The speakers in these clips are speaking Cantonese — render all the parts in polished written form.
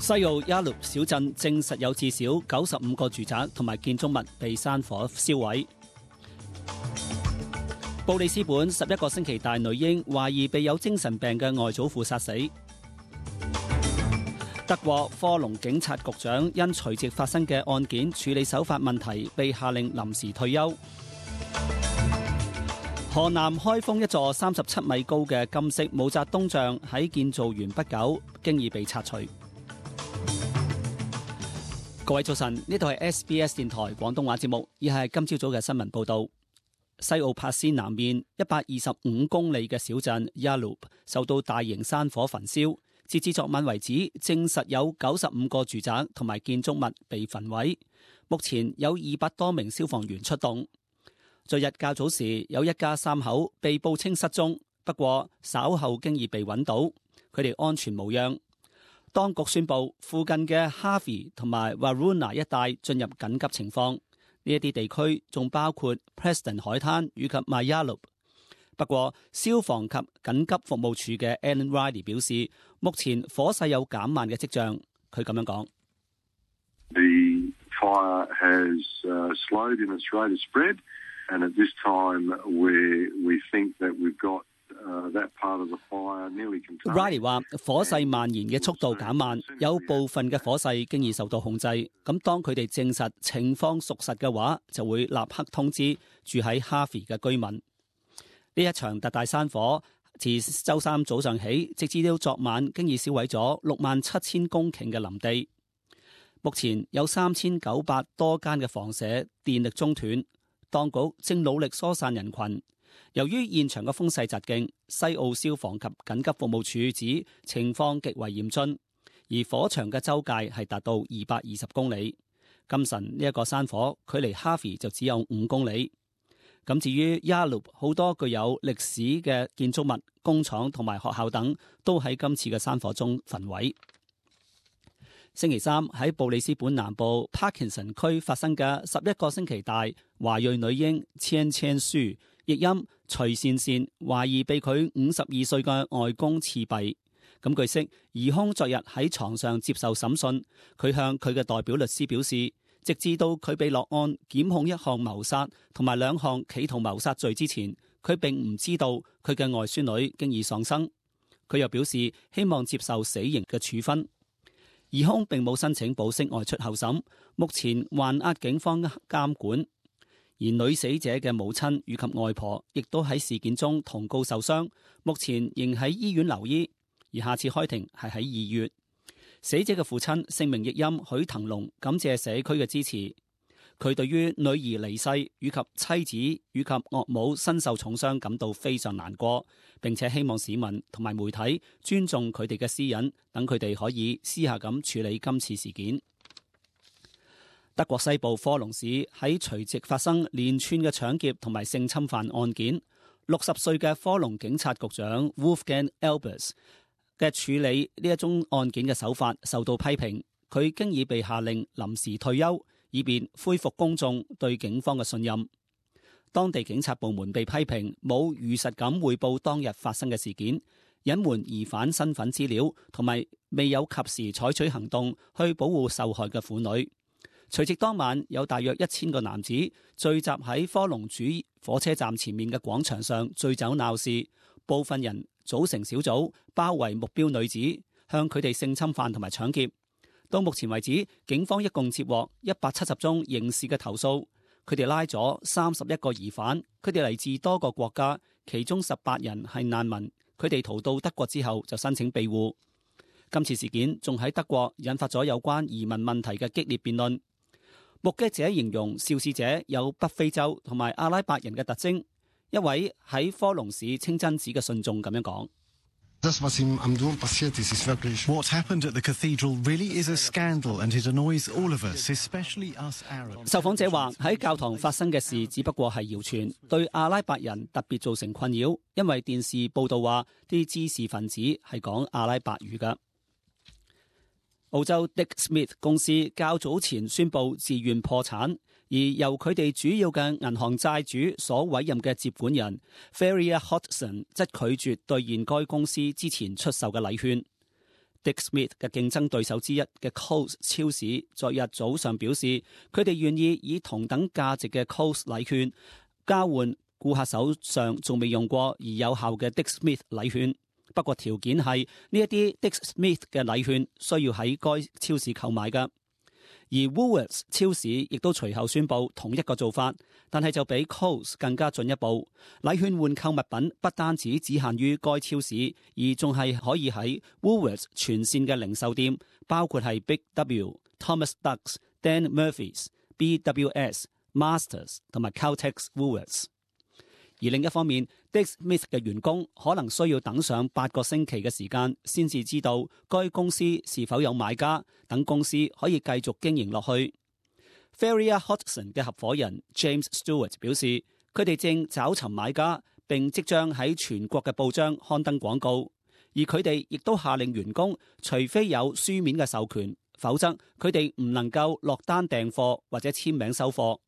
西澳亞魯小鎮證實有至少95個住宅同埋建築物被山火燒毀。布里斯本11個星期大女嬰懷疑被有精神病嘅外祖父殺死。德國科隆警察局長因隨即發生嘅案件處理手法問題被下令臨時退休。河南開封一座37米高嘅金色毛澤東像喺建造完不久，經已被拆除。各位早晨，呢度係 SBS 電台廣東話節目，以下係今朝早嘅新聞報道。西澳帕斯南面125公里嘅小鎮 Yallourn 受到大型山火焚燒，截至昨晚為止，證實有95個住宅同埋建築物被焚毀。目前有200多名消防員出動。昨日較早時，有一家3口被報稱失蹤，不過稍後經已被揾到，佢哋安全無恙。當局宣布附近嘅 Harvey 同埋 Waroona 一帶進入緊急情況。呢一啲地區仲包括 Preston 海灘以及 Mayallup。不過，消防及緊急服務處嘅 Alan Riley 表示，目前火勢有減慢嘅跡象。佢咁樣講 ：The fire has slowed in its rate of spread, and at this time we think that we've got that part of the fire nearly contained. Riley 話火勢蔓延嘅速度減慢，有部分嘅火勢經已受到控制。咁當佢哋證實情況屬實嘅話，就會立刻通知住喺 Harvey 嘅居民。呢一場特大山火自週三早上起，直至到昨晚，經已燒毀咗67000公頃嘅林地。目前有3900多間嘅房舍電力中斷，當局正努力疏散人群。由於現場嘅風勢疾勁，西澳消防及緊急服務處指情況極為嚴峻，而火場嘅周界係達到220公里。今晨呢一個山火距離 Harvey 就只有5公里。咁至於 Yallourn 好多具有歷史嘅建築物、工廠同埋學校等，都喺今次嘅山火中焚毀。星期三喺布里斯本南部 Parkinson 區發生嘅11個星期大華裔女嬰千千書，譯音徐善善，懷疑被佢52歲嘅外公刺斃。咁據悉，疑兇昨日喺床上接受審訊，佢向佢嘅代表律師表示，直至到佢被落案檢控1項謀殺同埋2項企圖謀殺罪之前，佢並唔知道佢嘅外孫女經已喪生。佢又表示希望接受死刑嘅處分。疑兇並冇申請保釋外出候審，目前還押警方監管。而女死者嘅母親以及外婆亦都喺事件中同告受傷，目前仍喺醫院留醫，而下次開庭係喺2月。死者嘅父親姓名譯音許騰龍，感謝社區嘅支持。佢對於女兒離世以及妻子以及岳母身受重傷感到非常難過，並且希望市民同埋媒體尊重佢哋嘅私隱，等佢哋可以私下咁處理今次事件。德國西部科隆市喺隨即發生連串嘅搶劫同埋性侵犯案件。60歲嘅科隆警察局長 Wolfgang Albers 嘅處理呢一宗案件嘅手法受到批評，佢經已被下令臨時退休，以便恢復公眾對警方嘅信任。當地警察部門被批評冇如實咁匯報當日發生嘅事件，隱瞞疑犯身份資料，同埋未有及時採取行動去保護受害嘅婦女。隨即當晚有大約1000個男子聚集喺科隆主火車站前面嘅廣場上醉酒鬧事，部分人組成小組包圍目標女子，向佢哋性侵犯同埋搶劫。到目前為止，警方一共接獲170宗刑事嘅投訴，佢哋拉咗31個疑犯，佢哋嚟自多個國家，其中18人係難民，佢哋逃到德國之後就申請庇護。今次事件仲喺德國引發咗有關移民問題嘅激烈辯論。目擊者形容肇事者有北非洲同埋阿拉伯人嘅特徵。一位喺科隆市清真寺嘅信眾咁樣講：What happened at the cathedral really is a scandal, and it annoys all of us, especially us Arabs. 受訪者話喺教堂發生嘅事只不過係謠傳，對阿拉伯人特別造成困擾，因為電視報道話啲知識分子係講阿拉伯語㗎。澳洲 Dick Smith 公司較早前宣布自願破產，而由佢哋主要嘅銀行債主所委任嘅接管人 Ferrier Hodgson 則拒絕兌現該公司之前出售嘅禮券。Dick Smith 嘅競爭對手之一嘅 Coles 超市昨日早上表示，佢哋願意以同等價值嘅 Coles 禮券交換顧客手上仲未用過而有效嘅 Dick Smith 禮券。不過條件係呢一啲 Dick Smith 嘅禮券需要喺該超市購買㗎。而 Woolworths 超市亦都隨後宣布同一個做法，但係就比 Coles 更加進一步。禮券換購物品不單止只限於該超市，而仲係可以喺 Woolworths 全線嘅零售店，包括係 Big W、Thomas Dux、Dan Murphy's、BWS、Masters 同埋 Caltex Woolworths。而另一方面 Dick Smith 嘅員工可能需要等上8個星期嘅時間，先至知道該公司是否有買家，等公司可以繼續經營落去。Ferrier Hodgson 嘅合夥人 James Stewart 表示，佢哋正找尋買家，並即將喺全國嘅報章刊登廣告。而佢哋亦都下令員工，除非有書面嘅授權，否則佢哋唔能夠落單訂貨或者簽名收貨。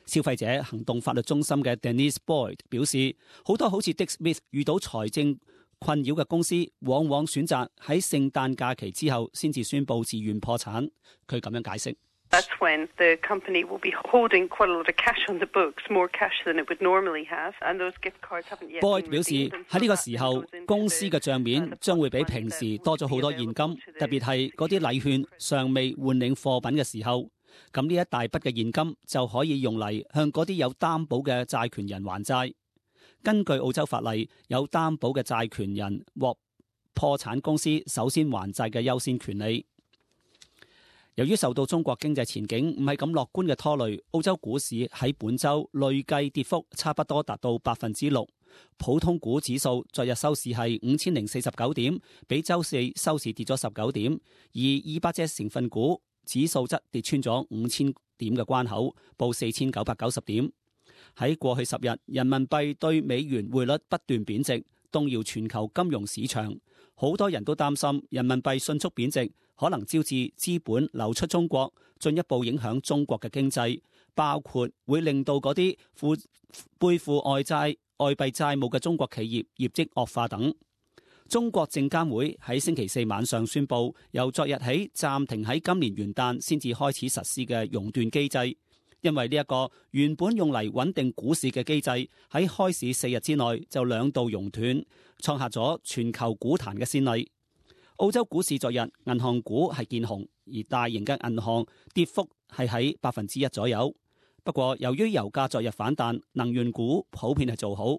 消費者行動法律中心嘅 Denise Boyd 表示，好多好似 Dick Smith 遇到財政困擾嘅公司，往往選擇喺聖誕假期之後先至宣佈自願破產。佢咁樣解釋。That's when the company will be holding quite a lot of cash on the books, more cash than it would normally have, and those gift cards haven't yet been redeemed. Boyd 表示喺呢個時候，公司嘅帳面將會比平時多咗好多現金，特別係嗰啲禮券尚未換領貨品嘅時候。咁呢一大筆嘅現金就可以用嚟向嗰啲有擔保嘅債權人還債。根據澳洲法例，有擔保嘅債權人獲破產公司首先還債嘅優先權利。由於受到中國經濟前景唔係咁樂觀嘅拖累，澳洲股市喺本週累計跌幅差不多達到6%。普通股指數昨日收市係5049點，比週四收市跌咗19點，而200隻成分股指數則跌穿咗5000點嘅關口，報4990點。喺過去10日，人民幣對美元匯率不斷貶值，動搖全球金融市場。好多人都擔心人民幣迅速貶值，可能招致資本流出中國，進一步影響中國嘅經濟，包括會令到嗰啲背負外幣債務嘅中國企業業績惡化等。中國證監會喺星期四晚上宣布，由昨日起暫停喺今年元旦先至開始實施嘅熔斷機制，因為呢一個原本用嚟穩定股市嘅機制喺開市4日之內就2度熔斷，創下咗全球股壇嘅先例。澳洲股市昨日銀行股係見紅，而大型嘅銀行跌幅係喺1%左右。不過由於油價昨日反彈，能源股普遍係做好。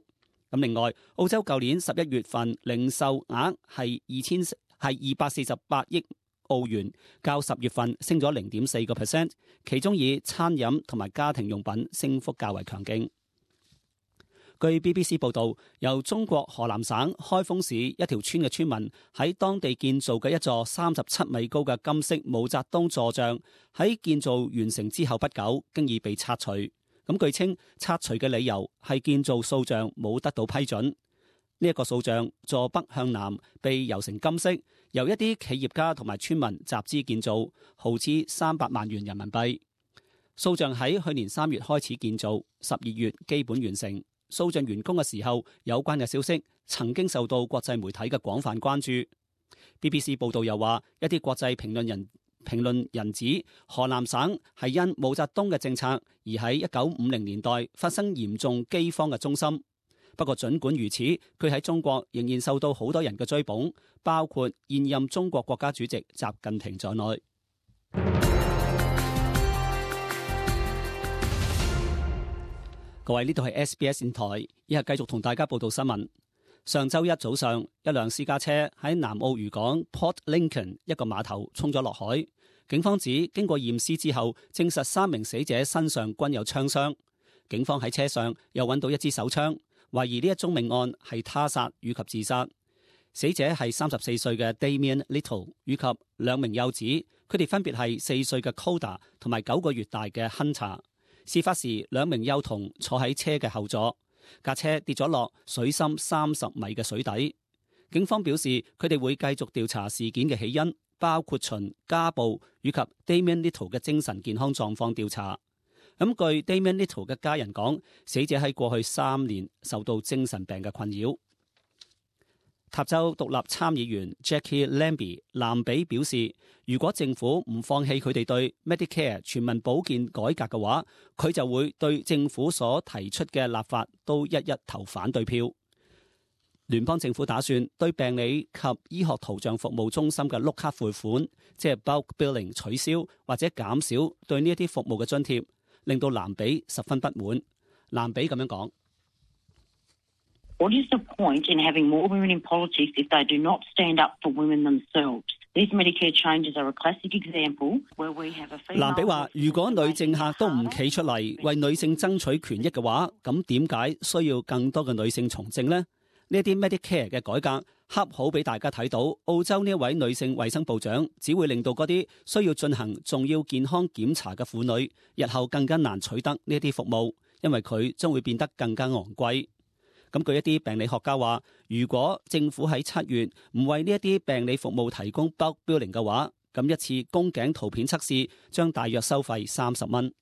咁另外，澳洲舊年11月份零售額係248億澳元，較10月份升咗0.4%，其中以餐飲同埋家庭用品升幅較為強勁。據 BBC 報導，由中國河南省開封市一條村嘅村民喺當地建造嘅一座37米高嘅金色毛澤東座像，喺建造完成之後不久，經已被拆除。咁據稱，拆除嘅理由係建造塑像冇得到批准。呢一個塑像坐北向南，被油成金色，由一啲企業家同埋村民集資建造，耗資300萬元人民幣。塑像喺去年3月開始建造，12月基本完成。塑像完工嘅時候，有關嘅消息曾經受到國際媒體嘅廣泛關注。BBC 報道又話，一啲國際評論人指河南省係因毛澤東嘅政策而喺1950年代發生嚴重饑荒嘅中心。不過儘管如此，佢喺中國仍然受到好多人嘅追捧，包括現任中國國家主席習近平在內。各位，呢度係 SBS 電台，以下繼續同大家報道新聞。上週一早上，一輛私家車喺南澳漁港 Port Lincoln 一個碼頭衝咗落海。警方指經過驗屍之後，證實3名死者身上均有槍傷。警方喺車上又揾到一支手槍，懷疑呢一宗命案係他殺以及自殺。死者係34歲嘅 Damien Little 以及2名幼子，佢哋分別係4歲嘅 Coda 同埋9個月大嘅 Hunter。事發時，2名幼童坐喺車嘅後座，架車跌咗落水深30米嘅水底。警方表示，佢哋會繼續調查事件嘅起因，包括循家暴以及 Damien Little 嘅精神健康狀況調查。咁據 Damien Little 嘅家人講，死者喺過去3年受到精神病嘅困擾。塔州獨立參議員 Jackie Lambie 藍比表示，如果政府唔放棄佢哋對 Medicare 全民保健改革嘅話，佢就會對政府所提出嘅立法都一一投反對票。聯邦政府打算對病理及醫學圖像服務中心嘅碌卡付款，即係 bulk billing 取消或者減少對呢一啲服務嘅津貼，令到藍比十分不滿。藍比咁樣講。What is the point in having more women in politics if they do not stand up for women themselves? These Medicare changes are a classic example where we have a female... 藍比話：如果女政客都唔企出嚟為女性爭取權益嘅話，咁點解需要更多嘅女性從政呢？呢啲 Medicare 嘅改革恰好俾大家睇到，澳洲呢一位女性衛生部長只會令到嗰啲需要進行重要健康檢查嘅婦女，日後更加難取得呢啲服務，因為佢將會變得更加昂貴。咁據一啲病理學家話，如果政府喺7月唔為呢一啲病理服務提供 bulk billing 嘅話，咁一次宮頸圖片測試將大約收費30蚊。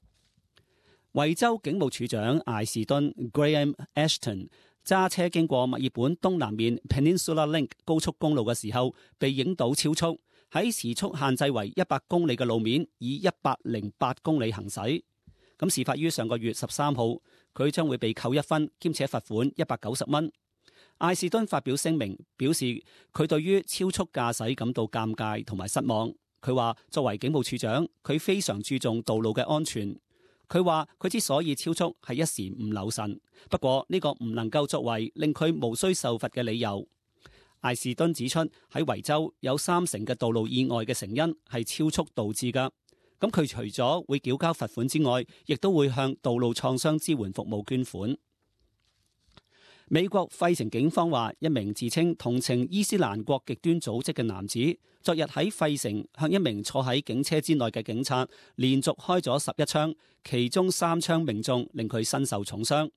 維州警務處長艾士頓 Graham Ashton 揸車經過墨爾本東南面 Peninsula Link 高速公路嘅時候，被影到超速，喺時速限制為100公里嘅路面以108公里行駛。咁事發於上個月13號，佢將會被扣1分，兼且罰款190蚊。艾士頓發表聲明，表示佢對於超速駕駛感到尷尬同埋失望。佢話作為警務處長，佢非常注重道路嘅安全。佢話佢之所以超速係一時唔留神，不過呢個唔能夠作為令佢無需受罰嘅理由。艾士頓指出，喺維州有30%嘅道路意外嘅成因係超速導致㗎。咁佢除咗會繳交罰款之外，亦都會向道路創傷支援服務捐款。美國費城警方話，一名自稱同情伊斯蘭國極端組織嘅男子，昨日喺費城向一名坐喺警車之內嘅警察連續開咗11槍，其中3槍命中，令佢身受重傷。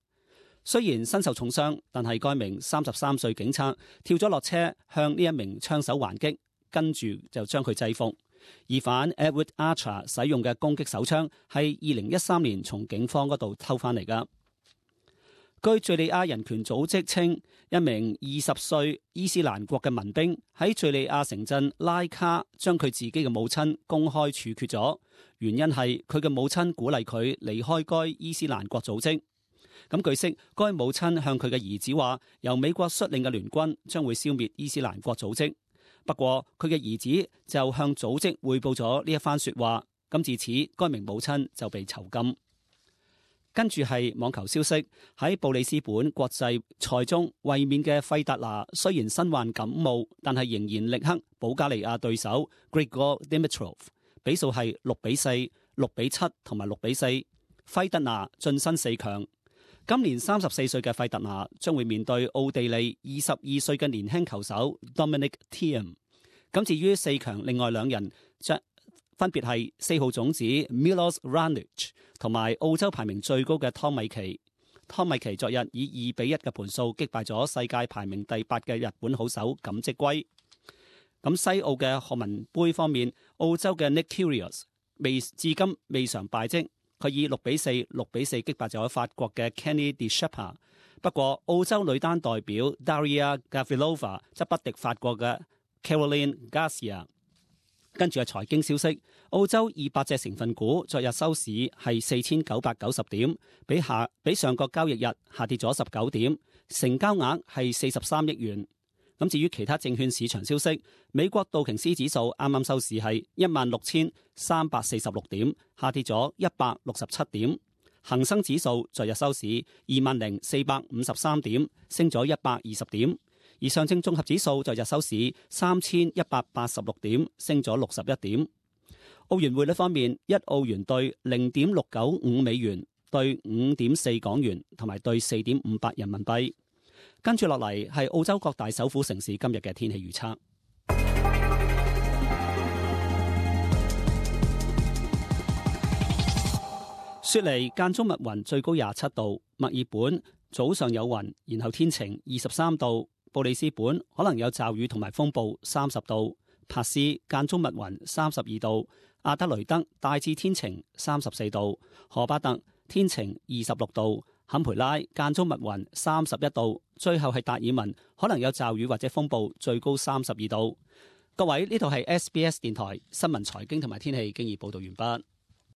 雖然身受重傷，但係該名33歲警察跳咗落車，向呢一名槍手還擊，跟住就將佢制服。疑犯 Edward Archer 使用嘅攻擊手槍係2013年從警方嗰度偷翻嚟㗎。據敘利亞人權組織稱，一名20歲伊斯蘭國嘅民兵喺敘利亞城鎮拉卡將佢自己嘅母親公開處決咗，原因係佢嘅母親鼓勵佢離開該伊斯蘭國組織。咁據悉，該母親向佢嘅兒子話，由美國率領嘅聯軍將會消滅伊斯蘭國組織。不過佢嘅兒子就向組織匯報咗呢一番說話，咁自此該名母親就被囚禁。跟住係網球消息，喺布里斯本國際賽中衛冕嘅費達拿雖然身患感冒，但係仍然力克保加利亞對手 Grigor Dimitrov， 比數係6-4、6-7同埋6-4，費達拿晉身4強。今年34歲嘅費達拿將會面對奧地利22歲嘅年輕球手 Dominic Thiem。咁至於4強另外2人，分別係4號種子 Milos Raonic 同埋澳洲排名最高嘅湯米奇。湯米奇昨日以2-1嘅盤數擊敗咗世界排名第8嘅日本好手錦織圭。咁西澳嘅學文杯方面，澳洲嘅 Nick Kyrgios 至今未嘗敗績。佢以6-4、6-4擊敗咗法國嘅 Kenny de Shepard。不過澳洲女單代表 Daria Gavrilova 則不敵法國嘅 Caroline Garcia。跟住係財經消息，澳洲200隻成分股昨日收市係4990點，比上個交易日下跌咗19點，成交額係43億元。咁至於其他證券市場消息，美國道瓊斯指數啱啱收市係16346點，下跌咗167點。恒生指數昨日收市20453點，升咗120點。而上證綜合指數昨日收市3186點，升咗61點。澳元匯率方面，一澳元兌0.695美元，兌5.4港元，同埋兌4.58人民幣。跟住落嚟係澳洲各大首府城市今日嘅天氣預測。雪梨間中密雲，最高27度；墨爾本早上有雲，然後天晴，23度；布里斯本可能有驟雨同埋風暴，30度；珀斯間中密雲，32度；阿德雷德大致天晴，34度；荷巴特天晴，26度；坎培拉間中密雲31度，最後係達爾文可能有驟雨或者風暴，最高32度。各位，呢度係 SBS 電台新聞財經同埋天氣經已報道完畢。